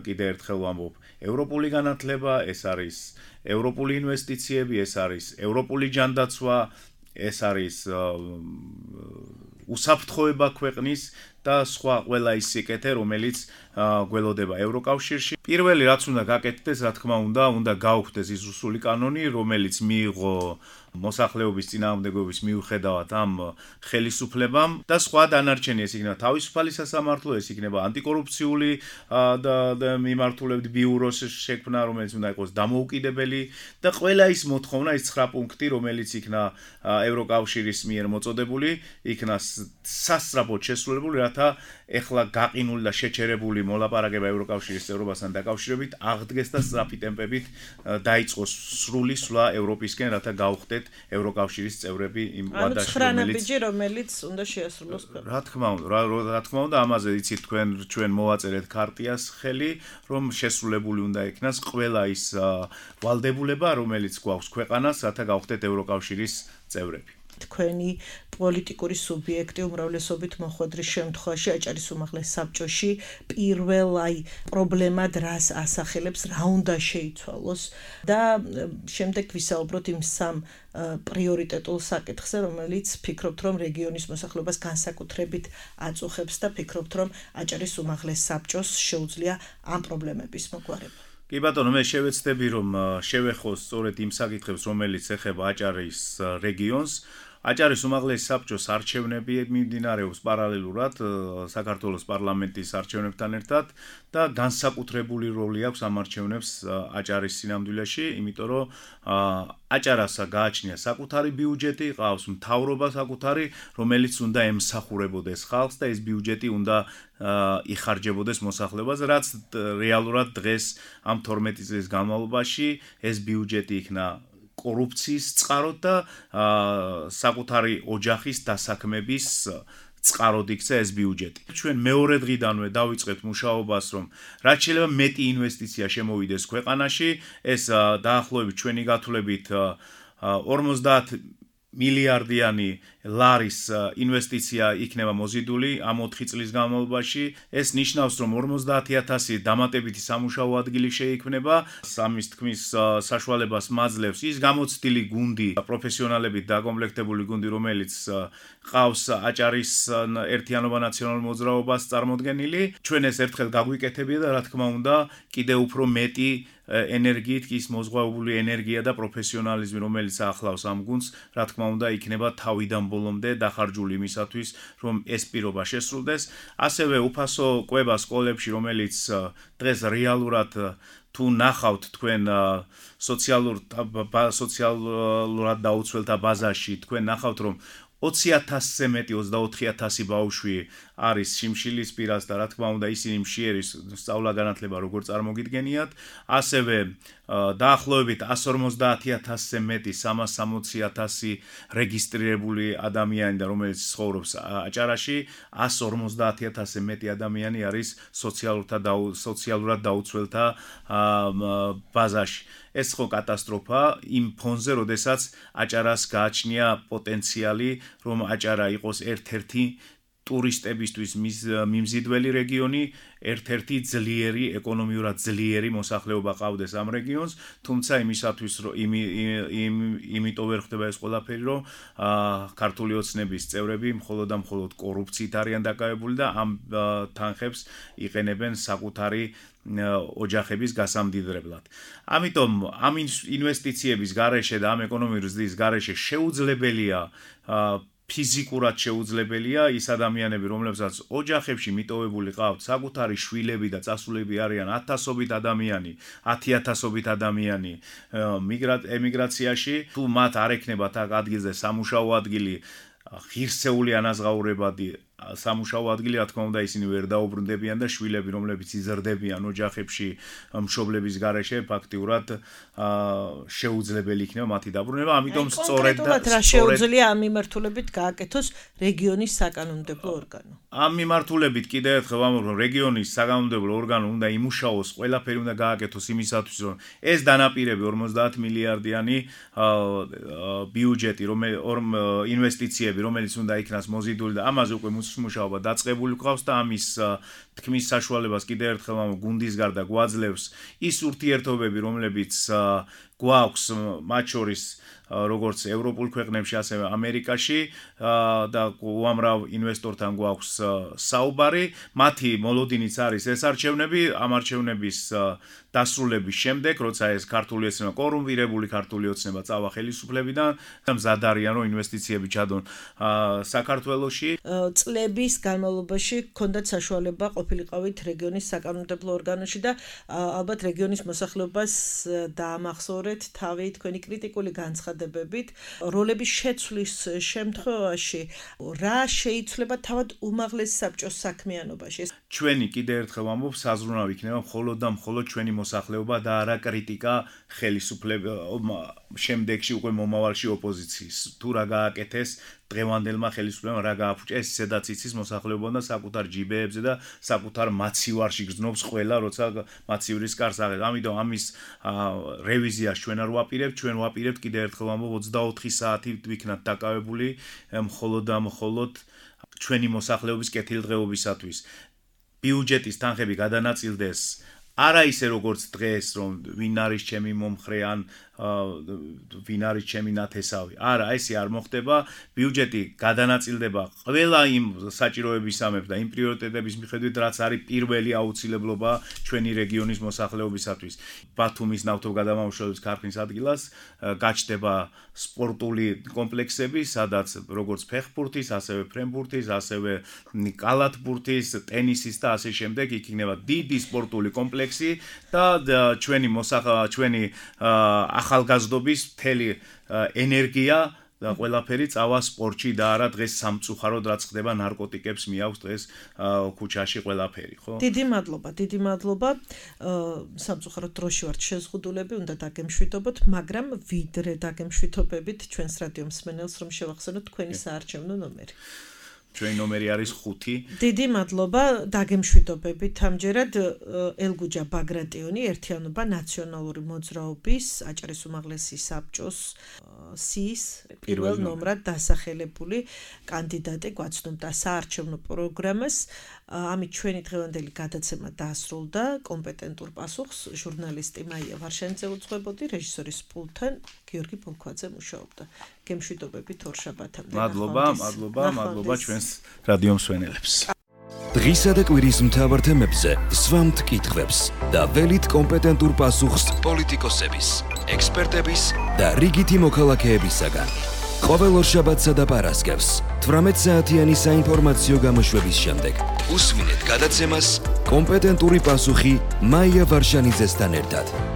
კიდე ერთხელ ვამბობ ევროპული განათლება ეს არის ევროპული ინვესტიციები ეს არის ევროპული ჯანდაცვა ეს არის უსაფრთხოება ქვეყნის და სხვა ყველა ის სიკეთე რომელიც გველოდება ევროკავშირში პირველი რაც უნდა გაკეთდეს რა თქმა უნდა გაუხდეს ის რუსული კანონი რომელიც მიიღო მოსახლეობის წინააღმდეგობის მიუხედავად ამ ხელისუფლებამ და სხვა დანარჩენი ეს იქნება თავისუფალი სასამართლო ეს იქნება ანტიკორუფციული და მიმართულებით ბიუროს შექმნა რომელიც უნდა იყოს დამოუკიდებელი და ყველა ის მოთხოვნა ის 9 პუნქტი რომელიც იქნა ევროკავშირის მიერ მოწოდებული იქნა სასწრაფოდ შესრულებული რათა ეხლა გაყინული და შეჩერებული მოლაპარაკება ევროკავშირის წევრობასთან დაკავშირებით აღდგეს და სწრაფი ტემპებით დაიწყოს სრული სვლა ევროპისკენ რათა გავხდეთ ევროკავშირის წევრები იმ ვადაში რომელიც უნდა შეასრულოს რა თქმა უნდა ამაზე იცით ჩვენ მოვაწერეთ ქარტიას ხელი რომ შესრულებული უნდა იქნას ყველა ის ვალდებულება რომელიც გვაქვს ქვეყანას რათა გავხდეთ ევროკავშირის წევრები თქვენი პოლიტიკური სუბიექტი უმრავლესობით მოხვედრის შემთხვევაში აჭარის უმაღლეს საბჭოში პირველ პრობლემად რას ასახელებს რა უნდა შეიცვალოს და შემდეგ ვისაუბროთ იმ სამ პრიორიტეტულ საკითხზე რომელიც ფიქრობთ რომ რეგიონის მოსახლეობას განსაკუთრებით აწუხებს და ფიქრობთ რომ აჭარის უმაღლეს საბჭოს შეუძლია ამ პრობლემების მოგვარება კი ბატონო მე შევეცდები რომ შევეხო სწორედ იმ საკითხებს რომელიც ეხება აჭარის რეგიონს აჭარის უმაღლეს საბჭოს არჩევნები მიმდინარეობს პარალელურად საქართველოს პარლამენტის არჩევნებთან ერთად და განსაკუთრებული როლი აქვს ამ არჩევნებს აჭარის სინამდვილეში, იმიტომ რომ აჭარასა გააჩნია საკუთარი ბიუჯეტი, ყავს მთავრობა საკუთარი, რომელიც უნდა ემსახურებოდეს ხალხს და ეს ბიუჯეტი უნდა იხარჯებოდეს მოსახლეობას, რაც რეალურად დღეს ამ 12 წლის განმავლობაში ეს ბიუჯეტი იქნა კორუფციის წყაროდ და საკუთარი ოჯახის დასაქმების წყაროდ იქცა ეს ბიუჯეტი. ჩვენ მეორე დღიდანვე დავიწყეთ მუშაობას, რომ რაც შეიძლება მეტი ინვესტიცია შემოვიდეს ქვეყანაში, ეს დაახლოებით ჩვენი გათვლებით 50 მილიარდიანი ლარის ინვესტიცია იქნება მოზიდული ამ 4 წლის განმავლობაში. ეს ნიშნავს, რომ 50,000 დამატებითი სამუშაო ადგილი შეიქმნება. სამის თქმის საშუალებას მაძლევს ის გამოცდილი გუნდი, პროფესიონალებით დაკომპლექტებული გუნდი, რომელიც ყავს აჭარის ერთიანობა ნაციონალურ მოძრაობას წარმოდგენილი. ჩვენ ეს ერთხელ გაგვიკეთებია და რა თქმა უნდა, კიდევ უფრო მეტი ენერგიით კი ის მოზღვაებული ენერგია და პროფესიონალიზმი, რომელიც ახლავს ამ გუნდს, რა თქმა უნდა, იქნება თავიდან ბოლომდე დახარჯული იმისათვის, რომ ეს პირობა შესრულდეს. ასევე უფასო კვება სკოლებში, რომელიც დღეს რეალურად თუ ნახავთ თქვენ სოციალურად დაუცველთა ბაზაში, თქვენ ნახავთ, რომ 20,000-ზე მეტი 24,000 ბავშვი არის შიმშილის პირას და რა თქმა უნდა ისინი მშიერი სწავლა-განათლება როგორ წარმოგიდგენიათ. ასევე დაახლოებით 150,000-ზე მეტი 360,000 რეგისტრირებული ადამიანი და რომელიც ცხოვრობს აჭარაში, 150,000-ზე მეტი ადამიანი არის სოციალურად დაუცველთა ბაზაში. ეს ხო კატასტროფა იმ ფონზე, როდესაც აჭარას გააჩნია პოტენციალი, რომ აჭარა იყოს ერთ-ერთი ტურისტებისთვის მიმზიდველი რეგიონი, ერთ-ერთი ძლიერი, ეკონომიურად ძლიერი მოსახლეობა ყავდეს ამ რეგიონს, თუმცა იმისათვის იმიტომ ვერ ხდება ეს ყველაფერი, რომ ქართული ოცნების წევრები მხოლოდ და მხოლოდ კორუფციით არიან დაკავებული და ამ თანხებს იყენებენ საკუთარი ოჯახების გასამდიდრებლად. ამიტომ ამ ინვესტიციების გარეშე და ამ ეკონომიკური ზრდის გარეშე შეუძლებელია ფიზიკურად შეუძლებელია ის ადამიანები, რომლებსაც ოჯახებში მიტოვებული ყავთ საკუთარი შვილები და წასულები არიან 1000-ობით ადამიანი, 10,000-ობით ადამიანი ემიგრაციაში, თუ მათ არ ექნებათ აქ ადგილზე სამუშაო ადგილი, ღირსეული ანაზღაურებადი სამუშაო ადგილი, რა თქმა უნდა, ისინი ვერ დაუბრუნდებიან და შვილები, რომლებიც იზრდებიან ოჯახებში მშობლების გარეშე, ფაქტიურად შეუძლებელი იქნება მათი დაბრუნება. ამიტომ სწორედ რა შეუძლია ამ მიმართულებით გააკეთოს რეგიონის საკანონმდებლო ორგანო. ამ მიმართულებით კიდევ ერთხელ ვამბობ, რომ რეგიონის საკანონმდებლო ორგანო უნდა იმუშაოს, ყველაფერი უნდა გააკეთოს იმისათვის, რომ ეს დანაპირები 50 მილიარდიანი ბიუჯეტი, ინვესტიციები, რომელიც უნდა იქნას მოზიდული და ამაზე უკვე მუშაობა დაწყებული გვყავს და ამის თქმის საშუალებას კიდევ ერთხელ ამ გუნდის გარდა გვაძლევს ის ურთიერთობები, რომლებიც გვაქვს მათ შორის როგორც ევროპულ ქვეყნებში, ასევე ამერიკაში და უამრავ ინვესტორთან გვაქვს საუბარი. მათი მოლოდინიც არის ეს არჩევნები, ამ არჩევნების დასრულების შემდეგ, როცა ეს ქართული ოცნება, კორუმპირებული ქართული ოცნება წავა ხელისუფლებიდან და მზად არიან, რომ ინვესტიციები ჩადონ საქართველოში. წლების განმავლობაში ჰქონდათ საშუალება ყოფილიყავით რეგიონის საკანონმდებლო ორგანოში და ალბათ რეგიონის მოსახლეობას დაამახსოვრეთ თავი თქვენი კრიტიკული განცხადებებით, როლების შეცვლის შემთხვევაში რა შეიცვლება თავად უმაღლეს საბჭოს საქმიანობაში. ჩვენი კიდევ ერთხელ ვამბობ, საზრუნავი იქნება მხოლოდ და მხოლოდ ჩვენი მოსახლეობა და არა კრიტიკა შემდეგში უკვე მომავალში ოპოზიციის. თუ რა გააკეთეს დღევანდელმა ხელისუფლებამ, რა გააფუჭა, ეს ისედაც იცის მოსახლეობამ და საკუთარ ჯიბეებზე და საკუთარ მაცივარში გრძნობს ყველა, როცა მაცივრის კარს აღებს. ამიტომ ამის რევიზიას ჩვენ არ ვაპირებთ, ჩვენ ვაპირებთ კიდევ ერთხელ ვამბობ 24 საათი ვიქნათ დაკავებული მხოლოდ და მხოლოდ ჩვენი მოსახლეობის კეთილდღეობისათვის. ბიუჯეტის თანხები გადანაწილდეს არა ისე როგორც დღეს, რომ ვინ არის ჩემი მომხრე ან ვინ არის ჩემი ნათესავი. არა, ესე არ მოხდება. ბიუჯეტი გადანაწილდება ყველა იმ საჭიროებისამებრ და იმ პრიორიტეტების მიხედვით, რაც არის პირველი აუცილებლობა ჩვენი რეგიონის მოსახლეობისათვის. ბათუმის ნავთობგადამამუშავების ქარხნის ადგილას გაჩნდება სპორტული კომპლექსები, სადაც როგორც ფეხბურთის, ასევე ფრენბურთის, ასევე კალათბურთის, ტენისის და ასე შემდეგ იქნება დიდი სპორტული კომპლექსი და ჩვენი ახალგაზრდობის მთელი ენერგია და ყველაფერი წავა სპორტში და არა დღეს სამწუხაროდ რაც ხდება ნარკოტიკებს მიაქვს დღეს ქუჩაში ყველაფერი, ხო? დიდი მადლობა. სამწუხაროდ დროში ვართ შეზღუდულები, უნდა დაგემშვიდობოთ, მაგრამ ვიდრე დაგემშვიდობებით ჩვენს რადიო მსმენელს, რომ შევახსენოთ თქვენი საარჩევნო ნომერი. ჩვენი ნომერი არის 5. დიდი მადლობა დაგემშვიდობებით ამჯერად ელგუჯა ბაგრატიონი ერთიანობა ნაციონალური მოძრაობის აჭარის უმაღლესი საბჭოს სიის პირველ ნომრად დასახელებული კანდიდატი გვაცნობდა საარჩევნო პროგრამას. ამით ჩვენი დღევანდელი გადაცემა დაასრულდა. კომპეტენტურ პასუხს ჟურნალისტი მაია ვარშანიძე უძღვებოდი, რეჟისორის პულტთან გიორგი ბოლქვაძე მუშაობდა. გემშვიდობებით ორშაბათამდე. მადლობა ჩვენს რადიო მსმენელებს. დღისა და კვირის მთავარ თემებზე სვამთ კითხვებს და ველით კომპეტენტურ პასუხს პოლიტიკოსების, ექსპერტების და რიგითი მოქალაქეებისაგან. ყოველ ორშაბათსა და პარასკევს 18 საათიანი საინფორმაციო გამოშვების შემდეგ უსმინეთ გადაცემას კომპეტენტური პასუხი მაია ვარშანიძესთან ერთად.